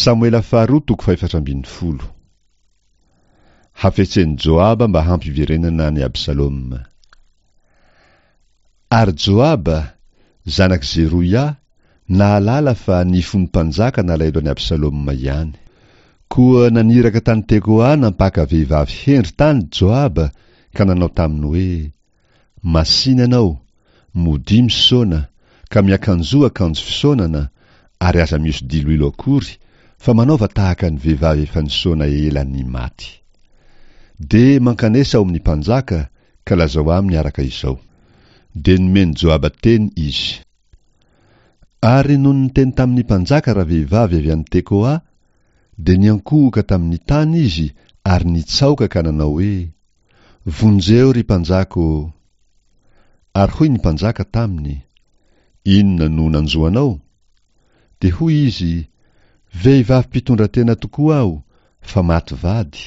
Samoela faharoa toko fahefatra ambin'ny folo. Hafetsen'i Joaba mba hampiverenana an'i Absaloma. Ary Joaba, zanak'i Zeroia, nahalala fa ny fon'ny mpanjaka nalahelo an'i Absaloma ihany. Koa naniraka tany Tekoa nampaka vehivavy hendry tany Joaba ka nanao taminy hoe, Masìna ianao, modia misaona, ka miakanjoa akanjo fisaonana, ary aza mihoso-diloilo akory, fa manaova tahaka ny vehivavy efa nisaona ela ny maty. Dia mankanesa ao amin'ny mpanjaka, ka lazao aminy araka izao. Dia nomen'i Joaba teny izy. Ary nony niteny tamin'ny mpanjaka ravehivavy avy any Tekoa, dia niankohoka tamin'ny tany izy ary nitsaoka ka nanao hoe, Vonjeo, ry mpanjaka ô! Ary hoy ny mpanjaka taminy, Inona no nanjo anao? Dia hoy izy, Vehivavy mpitondratena tokoa aho, fa maty vady,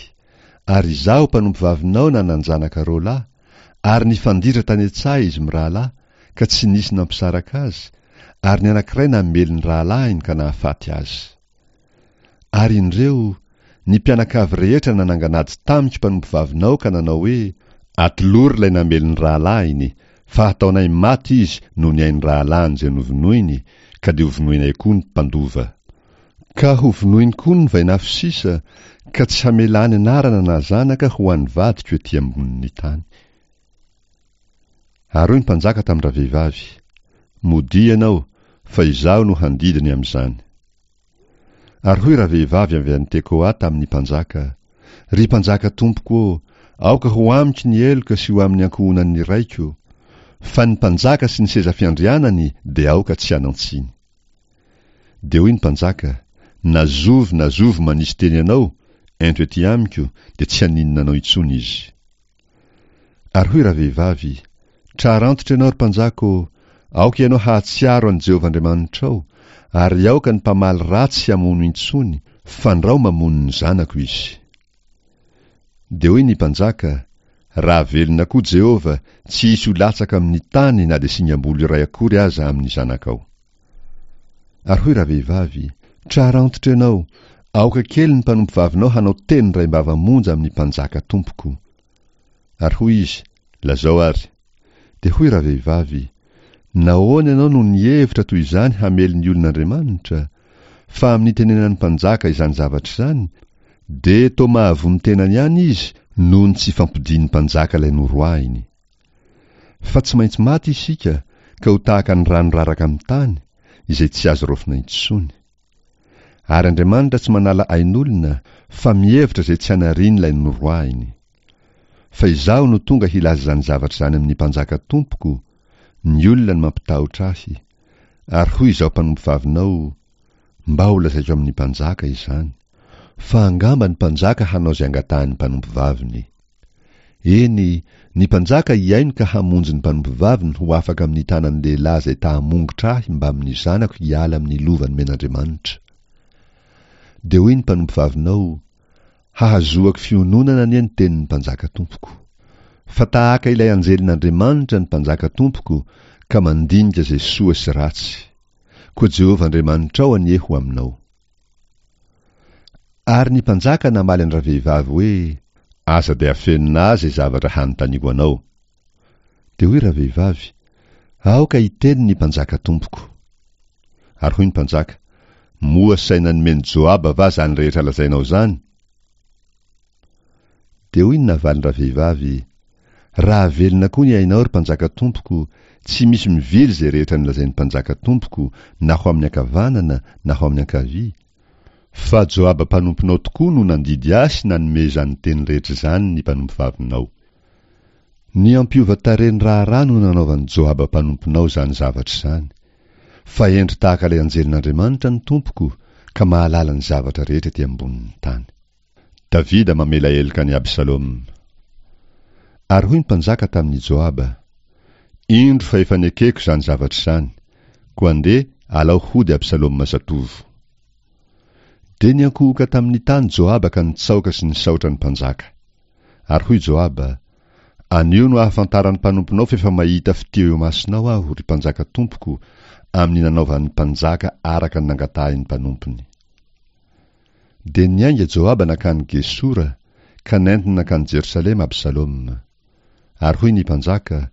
ary izaho mpanompovavinao nanan-janaka roalahy, ary nifanditra tany an-tsaha izy mirahalahy, ka tsy nisy nampisaraka azy, ary ny anankiray namely ny rahalahiny ka nahafaty azy. Ary indreo, ny mpianakavy rehetra nanangan'ady tamiko mpanompovavinao ka nanao hoe, Atolory ilay namely ny rahalahiny, fa hataonay maty izy noho ny ain'ny rahalahiny izay novonoiny, ka dia hovonoinay koa ny mpandova. Ka hovonoiny koa ny vainafo sisa, ka tsy hamelany anarana na zanaka ho an'ny vadiko ety ambonin'ny tany. Ary hoy ny mpanjaka tamin-dravehivavy, Modia ianao, fa izaho no handidy ny amin'izany. Ary hoy ravehivavy avy any Tekoa tamin'ny mpanjaka, Ry mpanjaka tompoko ô, aoka ho amiko ny heloka sy ho amin'ny ankohonan'ny raiko, fa ny mpanjaka sy ny seza fiandrianany dia aoka tsy hanan-tsiny. Dia hoy ny mpanjaka, Na zovy na zovy manisy teny anao, ento ety amiko, dia tsy haninona anao intsony izy. Ary hoy ravehivavy, Trarantitra ianao, ry mpanjaka ô, aoka ianao hahatsiaro an'i Jehovah Andriamanitrao, ary aoka ny mpamaly ratsy hamono intsony, fandrao mamono ny zanako izy. Dia hoy ny mpanjaka, Raha velona koa Jehovah, tsy hisy ho latsaka amin'ny tany na dia singam-bolo iray akory aza amin'ny zanakao. Ary hoy ravehivavy, Trarantitra ianao, aoka kely ny mpanompovavinao hanao teny indraim-bava monja amin'ny mpanjaka tompoko. Ary hoy izy, Lazao àry. Dia hoy ravehivavy, Nahoana ianao no nihevitra toy izany hamely ny olon'Andriamanitra? Fa amin'ny itenenan'ny mpanjaka izany zavatra izany, dia toa mahavono tenany ihany izy noho ny tsy fampodian'ny mpanjaka ilay noroahiny. Fa tsy maintsy maty isika ka ho tahaka ny rano raraka amin'ny tany, izay tsy azo raofina intsony. Ary Andriamanitra tsy manala ain'olona, fa mihevitra izay tsy hanariany ilay noroahiny. Fa izaho no tonga hilaza izany zavatra izany amin'ny mpanjaka tompoko, ny olona no mampitahotra ahy. Ary hoy izaho mpanompovavinao, Mba holazaiko amin'ny mpanjaka izany. Fa angamba ny mpanjaka hanao izay angatahin'ny mpanompovaviny. Eny, ny mpanjaka hihaino ka hamonjy ny mpanompovaviny ho afaka amin'ny tanan'ny lehilahy izay ta-hamongotra ahy mbamin'ny zanako hiala amin'ny lova nomen'Andriamanitra. Dia hoy ny mpanompovavinao, Hahazoako fiononana anie ny tenin'ny mpanjaka tompoko. Fa tahaka ilay anjelin'Andriamanitra ny mpanjaka tompoko ka mandinika izay soa sy ratsy. Koa Jehovah Andriamanitrao anie ho aminao. Ary ny mpanjaka namaly an-dravehivavy hoe, Aza dia afenina ahy izay zavatra hanontaniako anao. Dia hoy ravehivavy, Aoka hiteny ny mpanjaka tompoko. Ary hoy ny mpanjaka, Moa saina nomen'i Joaba va izany rehetra lazainao izany? Dia hoy ny navalin-dravehivavy, Raha velona koa ny ainao, ry mpanjaka tompoko, tsy misy mivily izay rehetra nolazain'ny mpanjaka tompoko, na ho amin'ny ankavanana na ho amin'ny ankavia, fa Joaba mpanomponao tokoa no nandidy ahy sy nanome izany teny rehetra izany ny mpanompovavinao. Ny hampiova tarehy ny raharaha no nanaovan'i Joaba mpanomponao izany zavatra izany. Fa hendry tahaka ilay anjelin'Andriamanitra ny tompoko, ka mahalala ny zavatra rehetra ety ambonin'ny tany. Davida mamela heloka an'i Absaloma. Ary hoy ny mpanjaka tamin'i Joaba, Indro fa efa nekeko izany zavatra izany, koa andeha alao hody Absaloma zatovo. Dia niankohoka tamin'ny tany Joaba ka nitsaoka sy nisaotra ny mpanjaka. Ary hoy Joaba, Anio no ahafantaran'ny mpanomponao f'efa mahita fitia eo imasonao aho, ry mpanjaka tompoko, amin'ny nanaovan'ny mpanjaka araka ny nangatahin'ny mpanompony. Dia niainga Joaba nankany Gesora, ka nentiny nankany Jerosalema Absaloma. Ary hoy ny mpanjaka,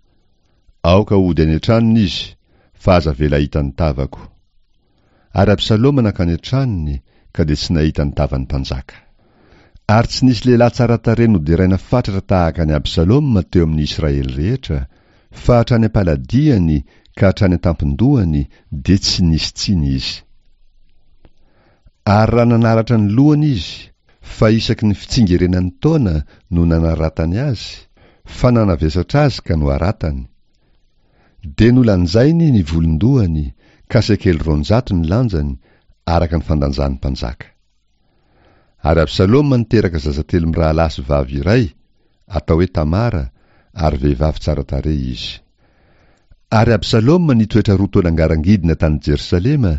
Aoka hody any an-tranony izy, fa aza avela hahita ny tavako. Ary Absaloma nankany an-tranony, ka dia tsy nahita ny tavan'ny mpanjaka. Ary tsy nisy lehilahy tsara tarehy noderaina fatratra tahaka an'i Absaloma teo amin'ny Israely rehetra, fa hatrany am-paladiany ka hatrany an-tampon-dohany dia tsy nisy tsiny izy. Ary raha nanaratra ny lohany izy, fa isaky ny fitsingerenan'ny taona no nanaratany azy, fa nanavesatra azy ka noharatany. Dia nolanjainy ny volon-dohany, ka sekely 200 ny lanjany, araka ny fandanjan'ny mpanjaka. Ary Absaloma niteraka zaza telo mirahalahy sy vavy iray, atao hoe Tamara, ary vehivavy tsara tarehy izy. Ary Absaloma nitoetra roa taona ngarangidina tany Jerosalema,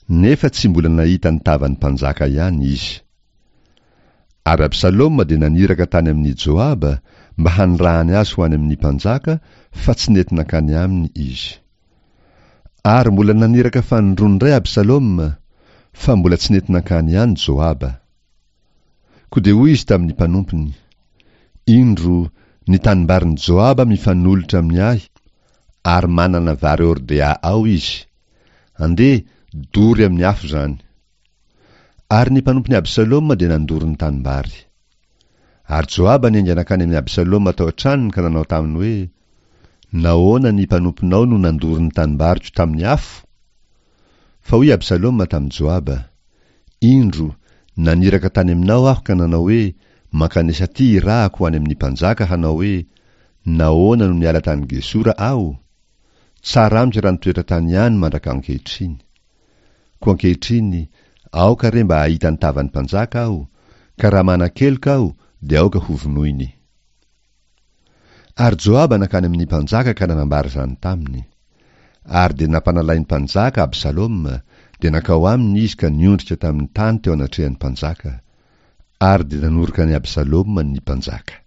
nefa tsy mbola nahita ny tavan'ny mpanjaka ihany izy. Ary Absaloma dia naniraka tany amin'i Joaba mba hanirahany azy ho any amin'ny mpanjaka, fa tsy nety nankany aminy izy. Ary mbola naniraka fanindroany indray Absaloma, fa mbola tsy nety nankany ihany Joaba. Koa dia hoy izy tamin'ny mpanompony, Indro, ny tanimbarin'i Joaba mifanolotra amin'ny ahy, ary manana vary hordea ao izy. Andeha, dory amin'ny afo izany. Ary ny mpanompon'i Absaloma dia nandoro ny tanimbary. Ary Joaba niainga nankany amin'i Absaloma tao an-tranony ka nanao taminy hoe, Nahoana ny mpanomponao no nandoro ny tanimbariko tamin'ny afo? Fa hoy Absaloma tamin'i Joaba, Indro, naniraka tany aminao aho ka nanao hoe, Mankanesa aty irahako ho any amin'ny mpanjaka hanao hoe, Nahoana no niala tany Gesora aho? Tsara amiko raha nitoetra tany ihany mandraka ankehitriny. Koa ankehitriny, aoka re mba hahita ny tavan'ny mpanjaka aho, ka raha manan-keloka aho, dia aoka hovonoiny. Ary Joaba nankany amin'ny mpanjaka ka nanambara izany taminy. Ary dia nampanalain'ny mpanjaka Absaloma, dia nankao aminy izy ka niondrika tamin'ny tany teo anatrehan'ny mpanjaka. Ary dia nanoroka an'i Absaloma ny mpanjaka.